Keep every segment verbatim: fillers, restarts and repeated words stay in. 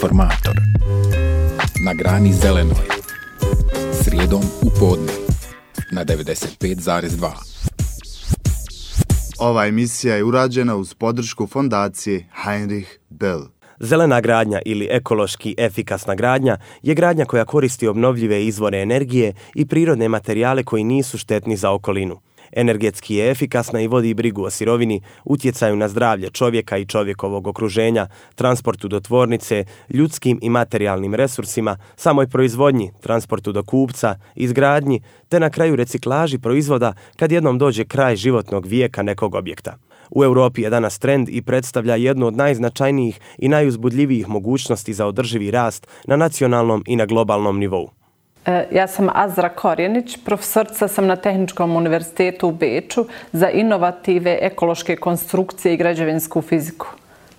Informator. Na grani zelenoj. Srijedom u podne. Na devedeset pet zarez dva. Ova emisija je urađena uz podršku fondacije Heinrich Böll. Zelena gradnja ili ekološki efikasna gradnja je gradnja koja koristi obnovljive izvore energije i prirodne materijale koji nisu štetni za okolinu. Energetski je efikasna i vodi brigu o sirovini, utjecaju na zdravlje čovjeka i čovjekovog okruženja, transportu do tvornice, ljudskim i materijalnim resursima, samoj proizvodnji, transportu do kupca, izgradnji, te na kraju reciklaži proizvoda kad jednom dođe kraj životnog vijeka nekog objekta. U Europi je danas trend i predstavlja jednu od najznačajnijih i najuzbudljivijih mogućnosti za održivi rast na nacionalnom i na globalnom nivou. Ja sam Azra Korjenić, profesorica sam na Tehničkom univerzitetu u Beču za inovative, ekološke konstrukcije i građevinsku fiziku.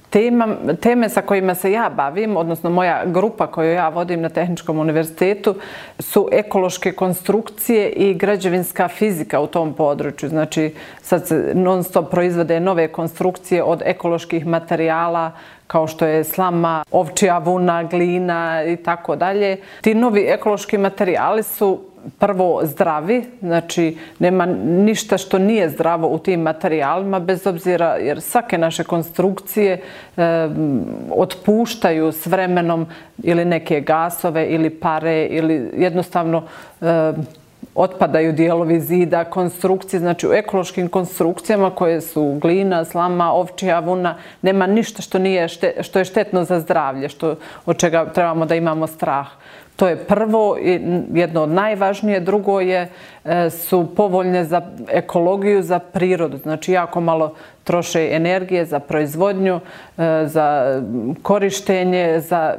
Tema, teme sa kojima se ja bavim, odnosno moja grupa koju ja vodim na Tehničkom univerzitetu, su ekološke konstrukcije i građevinska fizika u tom području. Znači, sad se non stop proizvode nove konstrukcije od ekoloških materijala, kao što je slama, ovčja vuna, glina i tako dalje. Ti novi ekološki materijali su prvo zdravi, znači nema ništa što nije zdravo u tim materijalima, bez obzira jer svake naše konstrukcije e, otpuštaju s vremenom ili neke gasove ili pare ili jednostavno e, otpadaju dijelovi zida, konstrukcije. Znači u ekološkim konstrukcijama koje su glina, slama, ovčja vuna, nema ništa što, nije šte, što je štetno za zdravlje, što, od čega trebamo da imamo strah. To je prvo i jedno od najvažnije. Drugo je, su povoljne za ekologiju, za prirodu. Znači jako malo troše energije za proizvodnju, za korištenje, za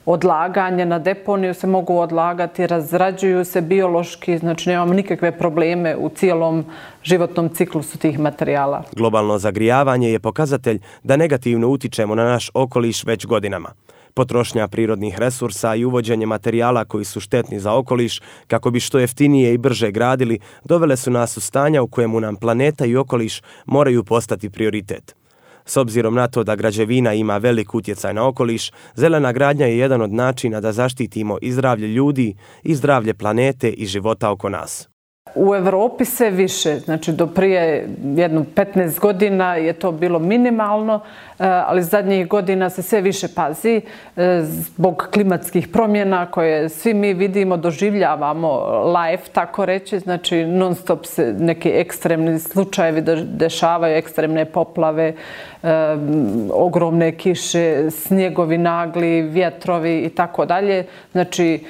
odlaganje na deponiju se mogu odlagati, razrađuju se biološki, znači nemamo nikakve probleme u cijelom životnom ciklusu tih materijala. Globalno zagrijavanje je pokazatelj da negativno utičemo na naš okoliš već godinama. Potrošnja prirodnih resursa i uvođenje materijala koji su štetni za okoliš, kako bi što jeftinije i brže gradili, dovele su nas u stanja u kojemu nam planeta i okoliš moraju postati prioritet. S obzirom na to da građevina ima velik utjecaj na okoliš, zelena gradnja je jedan od načina da zaštitimo i zdravlje ljudi i zdravlje planete i života oko nas. U Europi se više, znači do prije jedno petnaest godina je to bilo minimalno, ali zadnjih godina se sve više pazi zbog klimatskih promjena koje svi mi vidimo, doživljavamo live, tako reći, znači non stop se neki ekstremni slučajevi dešavaju, ekstremne poplave, ogromne kiše, snjegovi nagli, vjetrovi i tako dalje. Znači,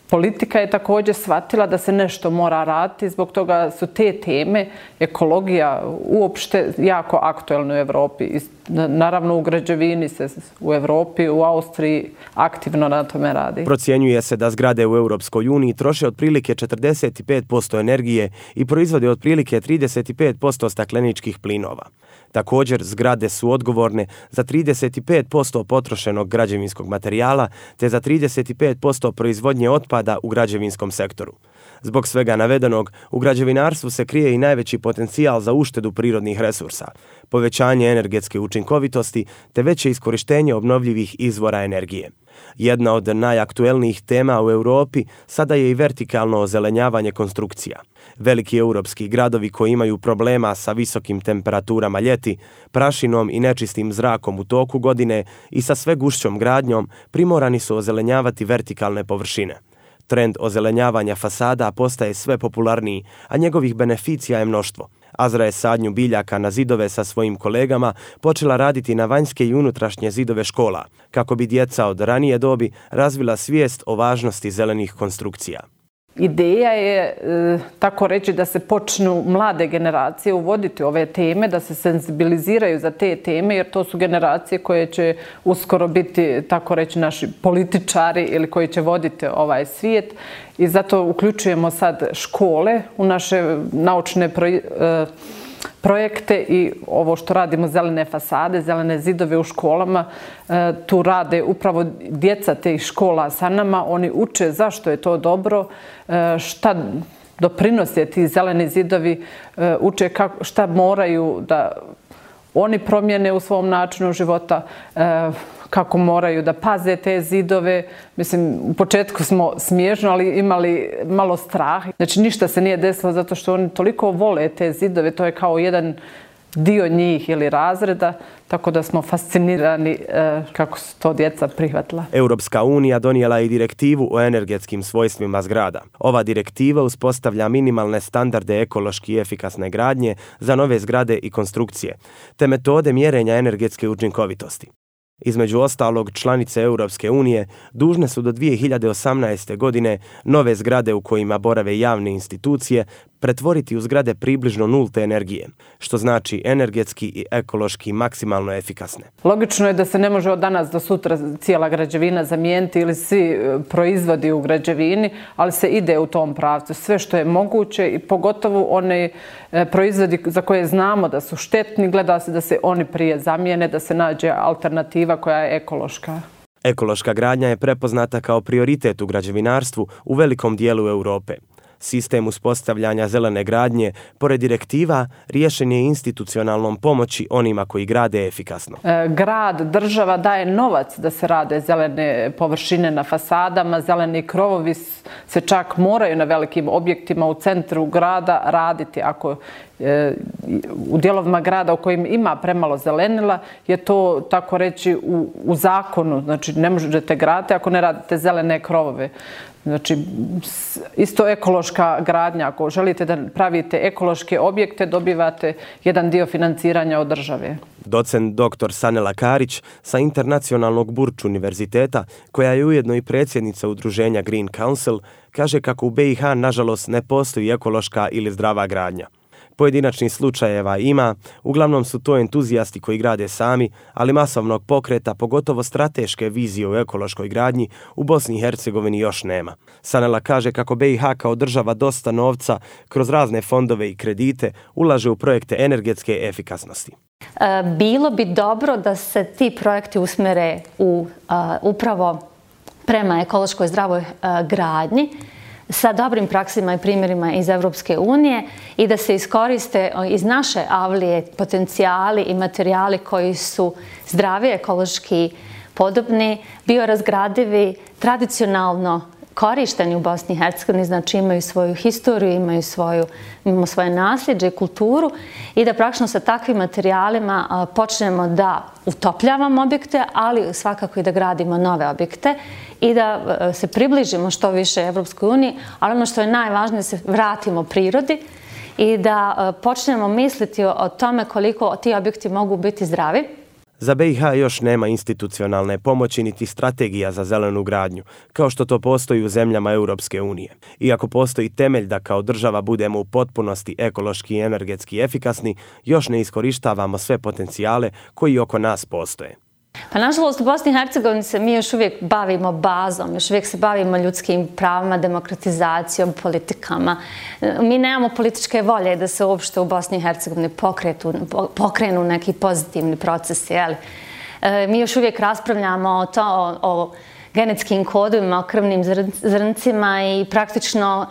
politika je također shvatila da se nešto mora raditi, zbog toga su te teme, ekologija uopšte jako aktuelne u Europi. Naravno u građevini se u Europi, u Austriji aktivno na tome radi. Procjenjuje se da zgrade u Europskoj uniji troše otprilike četrdeset pet posto energije i proizvode otprilike trideset pet posto stakleničkih plinova. Također, zgrade su odgovorne za trideset pet posto potrošenog građevinskog materijala te za trideset pet posto proizvodnje otpada u građevinskom sektoru. Zbog svega navedenog, u građevinarstvu se krije i najveći potencijal za uštedu prirodnih resursa, povećanje energetske učinkovitosti te veće iskorištenje obnovljivih izvora energije. Jedna od najaktuelnijih tema u Europi sada je i vertikalno ozelenjavanje konstrukcija. Veliki europski gradovi koji imaju problema sa visokim temperaturama ljeti, prašinom i nečistim zrakom u toku godine i sa sve gušćom gradnjom primorani su ozelenjavati vertikalne površine. Trend ozelenjavanja fasada postaje sve popularniji, a njegovih beneficija je mnoštvo. Azra je sadnju biljaka na zidove sa svojim kolegama počela raditi na vanjske i unutrašnje zidove škola, kako bi djeca od ranije dobi razvila svijest o važnosti zelenih konstrukcija. Ideja je, tako reći, da se počnu mlade generacije uvoditi ove teme, da se senzibiliziraju za te teme, jer to su generacije koje će uskoro biti, tako reći, naši političari ili koji će voditi ovaj svijet. I zato uključujemo sad škole u naše naučne projekte. projekte i ovo što radimo, zelene fasade, zelene zidove u školama, tu rade upravo djeca tih škola sa nama. Oni uče zašto je to dobro, šta doprinose ti zeleni zidovi, uče kako, šta moraju da oni promijene u svom načinu života, kako moraju da paze te zidove. Mislim, u početku smo smiješno, ali imali malo strah. Znači, ništa se nije desilo zato što oni toliko vole te zidove. To je kao jedan dio njih ili razreda, tako da smo fascinirani e, kako su to djeca prihvatila. Europska unija donijela je i direktivu o energetskim svojstvima zgrada. Ova direktiva uspostavlja minimalne standarde ekološki efikasne gradnje za nove zgrade i konstrukcije, te metode mjerenja energetske učinkovitosti. Između ostalog, članice Europske unije dužne su do dvije hiljade osamnaeste. godine nove zgrade u kojima borave javne institucije pretvoriti u zgrade približno nulte energije, što znači energetski i ekološki maksimalno efikasne. Logično je da se ne može od danas do sutra cijela građevina zamijeniti ili svi proizvodi u građevini, ali se ide u tom pravcu. Sve što je moguće i pogotovo one proizvodi za koje znamo da su štetni, gleda se da se oni prije zamijene, da se nađe alternativa koja je ekološka. Ekološka gradnja je prepoznata kao prioritet u građevinarstvu u velikom dijelu Europe. Sistem uspostavljanja zelene gradnje, pored direktiva, riješen je institucionalnom pomoći onima koji grade efikasno. Grad, država daje novac da se rade zelene površine na fasadama, zeleni krovovi se čak moraju na velikim objektima u centru grada raditi. Ako u dijelovima grada u kojim ima premalo zelenila je to, tako reći, u, u zakonu. Znači, ne možete graditi ako ne radite zelene krovove. Znači, isto ekološka gradnja. Ako želite da pravite ekološke objekte, dobivate jedan dio financiranja od države. Docent doktor Sanela Karić sa Internacionalnog Burč univerziteta, koja je ujedno i predsjednica udruženja Green Council, kaže kako u be i ha nažalost ne postoji ekološka ili zdrava gradnja. Pojedinačnih slučajeva ima, uglavnom su to entuzijasti koji grade sami, ali masovnog pokreta, pogotovo strateške vizije u ekološkoj gradnji, u Bosni i Hercegovini još nema. Sanela kaže kako be i ha kao država dosta novca kroz razne fondove i kredite ulaže u projekte energetske efikasnosti. Bilo bi dobro da se ti projekti usmere u, uh, upravo prema ekološkoj zdravoj uh, gradnji, sa dobrim praksima i primjerima iz Europske unije i da se iskoriste iz naše avlije potencijali i materijali koji su zdravi, ekološki podobni, biorazgradivi, tradicionalno korišteni u Bosni i Hercegovini, znači imaju svoju historiju, imaju svoju, imamo svoje nasljeđe i kulturu i da praktično sa takvim materijalima počnemo da utopljavamo objekte, ali svakako i da gradimo nove objekte i da se približimo što više Evropskoj uniji, ali ono što je najvažnije da se vratimo prirodi i da počnemo misliti o tome koliko ti objekti mogu biti zdravi. Za be i ha još nema institucionalne pomoći niti strategija za zelenu gradnju, kao što to postoji u zemljama Europske unije. Iako postoji temelj da kao država budemo u potpunosti ekološki i energetski efikasni, još ne iskorištavamo sve potencijale koji oko nas postoje. Pa nažalost u Bosni i Hercegovini se mi još uvijek bavimo bazom, još uvijek se bavimo ljudskim pravima, demokratizacijom, politikama. Mi nemamo političke volje da se uopšte u Bosni i Hercegovini pokretu, pokrenu neki pozitivni procesi. Jeli? Mi još uvijek raspravljamo o, to, o, o genetskim kodovima, o krvnim zrncima i praktično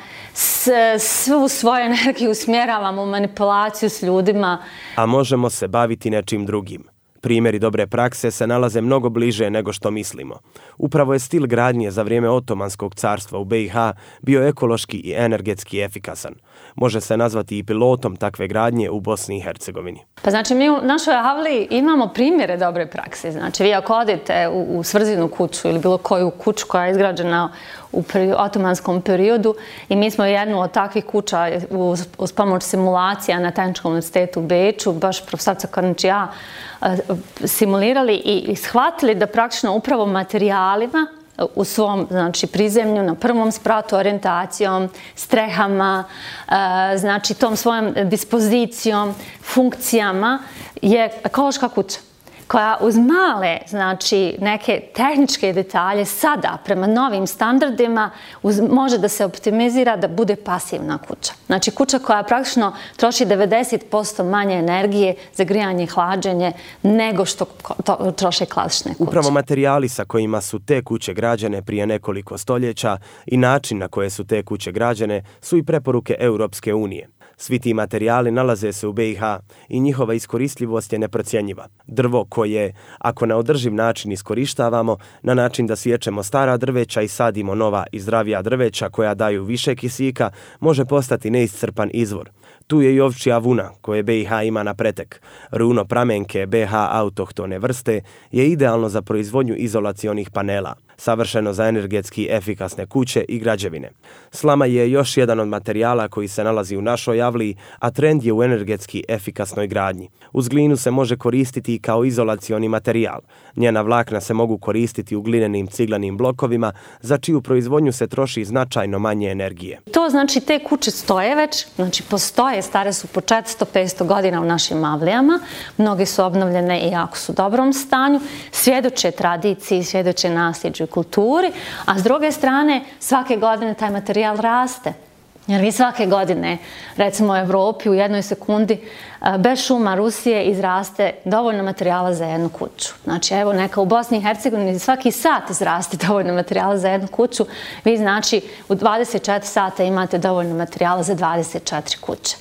svu svoju energiju usmjeravamo u manipulaciju s ljudima. A možemo se baviti nečim drugim. Primjeri dobre prakse se nalaze mnogo bliže nego što mislimo. Upravo je stil gradnje za vrijeme Otomanskog carstva u be i ha bio ekološki i energetski efikasan. Može se nazvati i pilotom takve gradnje u Bosni i Hercegovini. Pa znači mi u našoj avliji imamo primjere dobre prakse. Znači vi ako odete u, u Svrzinu kuću ili bilo koju kuću koja je izgrađena u peri, otomanskom periodu i mi smo jednu od takvih kuća uz, uz pomoć simulacija na Tehničkom univerzitetu u Beču, baš profesorca Kornić i ja, simulirali i, i shvatili da praktično upravo materijalima u svom, znači, prizemlju, na prvom spratu, orijentacijom, strehama, znači tom svojom dispozicijom, funkcijama je ekološka kuća koja uz male, znači, neke tehničke detalje sada, prema novim standardima, uz, može da se optimizira da bude pasivna kuća. Znači, kuća koja praktično troši devedeset posto manje energije za grijanje i hlađenje nego što to, troše klasične kuće. Upravo materijali sa kojima su te kuće građene prije nekoliko stoljeća i način na koje su te kuće građene su i preporuke Europske unije. Svi ti materijali nalaze se u B i H i njihova iskoristljivost je neprocjenjiva. Drvo koje, ako na održiv način iskorištavamo, na način da sječemo stara drveća i sadimo nova i zdravija drveća koja daju više kisika, može postati neiscrpan izvor. Tu je i ovčja vuna koje B i H ima na pretek. Runo pramenke B H autohtone vrste je idealno za proizvodnju izolacionih panela, savršeno za energetski efikasne kuće i građevine. Slama je još jedan od materijala koji se nalazi u našoj avliji, a trend je u energetski efikasnoj gradnji. Uz glinu se može koristiti i kao izolacioni materijal. Njena vlakna se mogu koristiti u glinenim ciglanim blokovima, za čiju proizvodnju se troši značajno manje energije. To znači te kuće stoje već, znači postoje, stare su po četiristo do petsto godina u našim avlijama, mnoge su obnovljene i jako su u dobrom stanju, svjedoče tradiciji, svjedoče nasljeđu i kulturi, a s druge strane svake godine taj materijal raste. Jer vi svake godine, recimo u Evropi, u jednoj sekundi, bez šuma Rusije izraste dovoljno materijala za jednu kuću. Znači, evo, neka u Bosni i Hercegovini svaki sat izraste dovoljno materijala za jednu kuću. Vi, znači, u dvadeset četiri sata imate dovoljno materijala za dvadeset četiri kuće.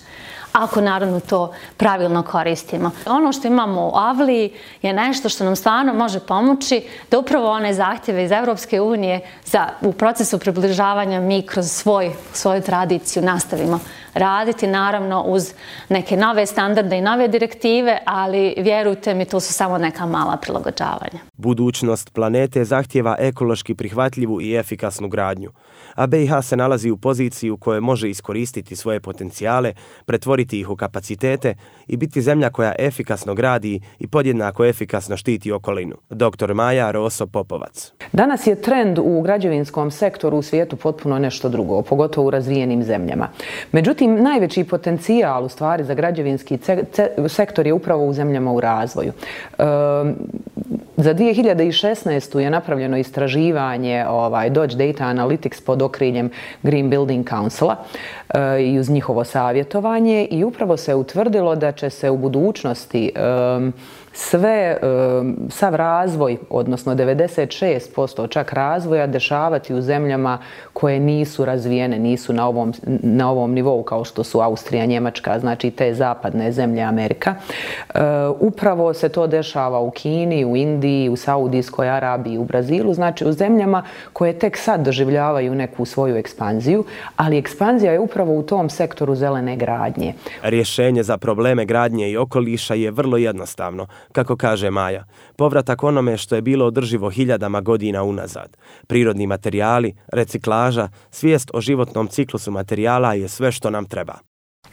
Ako naravno to pravilno koristimo. Ono što imamo u avliji je nešto što nam stvarno može pomoći da upravo one zahtjeve iz Evropske unije za, u procesu približavanja mi kroz svoj, svoju tradiciju nastavimo raditi, naravno uz neke nove standarde i nove direktive, ali vjerujte mi, to su samo neka mala prilagođavanja. Budućnost planete zahtjeva ekološki prihvatljivu i efikasnu gradnju, a B i H se nalazi u poziciji u kojoj može iskoristiti svoje potencijale, pretvoriti ih u kapacitete i biti zemlja koja efikasno gradi i podjednako efikasno štiti okolinu. doktor Maja Roso-Popovac. Danas je trend u građevinskom sektoru u svijetu potpuno nešto drugo, pogotovo u razvijenim zemljama. Međutim, najveći potencijal u stvari za građevinski sektor je upravo u zemljama u razvoju. E, za dvije hiljade šesnaestu. je napravljeno istraživanje ovaj, Dodge Data Analytics pod okriljem Green Building Councila e, i uz njihovo savjetovanje i upravo se utvrdilo da će se u budućnosti e, sve, sav razvoj, odnosno devedeset šest posto čak razvoja, dešavati u zemljama koje nisu razvijene, nisu na ovom, na ovom nivou kao što su Austrija, Njemačka, znači te zapadne zemlje, Amerika. Upravo se to dešava u Kini, u Indiji, u Saudijskoj Arabiji, u Brazilu, znači u zemljama koje tek sad doživljavaju neku svoju ekspanziju, ali ekspanzija je upravo u tom sektoru zelene gradnje. Rješenje za probleme gradnje i okoliša je vrlo jednostavno. Kako kaže Maja, povratak onome što je bilo održivo hiljadama godina unazad. Prirodni materijali, reciklaža, svijest o životnom ciklusu materijala je sve što nam treba.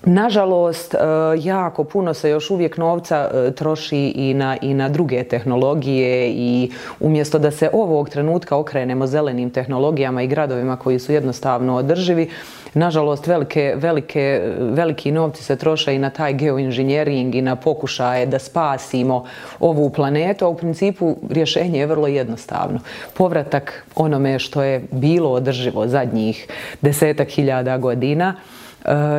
Nažalost, jako puno se još uvijek novca troši i na, i na druge tehnologije i umjesto da se ovog trenutka okrenemo zelenim tehnologijama i gradovima koji su jednostavno održivi, nažalost, velike, velike, veliki novci se troše i na taj geoinženjering i na pokušaje da spasimo ovu planetu, a u principu rješenje je vrlo jednostavno. Povratak onome što je bilo održivo zadnjih desetak hiljada godina,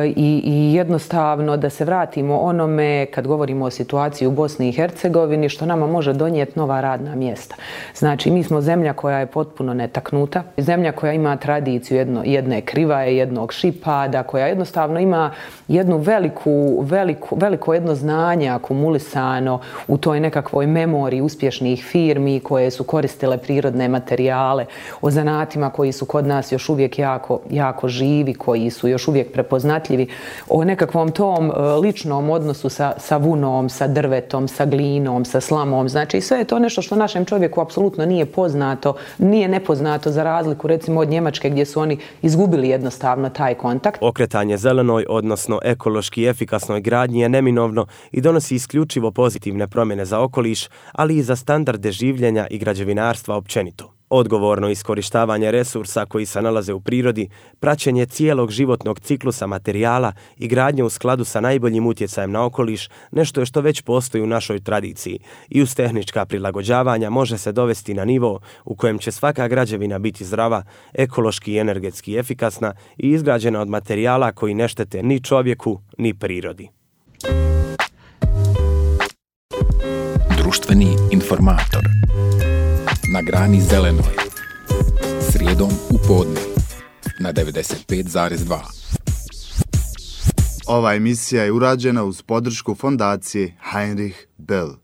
I, i jednostavno da se vratimo onome, kad govorimo o situaciji u Bosni i Hercegovini, što nama može donijeti nova radna mjesta. Znači, mi smo zemlja koja je potpuno netaknuta, zemlja koja ima tradiciju jedno, jedne krivaje, jednog šipada, koja jednostavno ima jednu veliku, veliku, veliko jedno znanje akumulisano u toj nekakvoj memoriji uspješnih firmi koje su koristile prirodne materijale, o zanatima koji su kod nas još uvijek jako, jako živi, koji su još uvijek prepoznatljivi, o nekakvom tom ličnom odnosu sa, sa vunom, sa drvetom, sa glinom, sa slamom. Znači, sve je to nešto što našem čovjeku apsolutno nije poznato, nije nepoznato za razliku recimo od Njemačke gdje su oni izgubili jednostavno taj kontakt. Okretanje zelenoj, odnosno ekološki efikasnoj gradnji je neminovno i donosi isključivo pozitivne promjene za okoliš, ali i za standarde življenja i građevinarstva općenito. Odgovorno iskorištavanje resursa koji se nalaze u prirodi, praćenje cijelog životnog ciklusa materijala i gradnje u skladu sa najboljim utjecajem na okoliš nešto je što već postoji u našoj tradiciji i uz tehnička prilagođavanja može se dovesti na nivo u kojem će svaka građevina biti zdrava, ekološki i energetski efikasna i izgrađena od materijala koji ne štete ni čovjeku ni prirodi. Društveni informator. Na grani zelenoj. Srijedom u podne. Na devedeset pet zarez dva. Ova emisija je urađena uz podršku fondacije Heinrich Böll.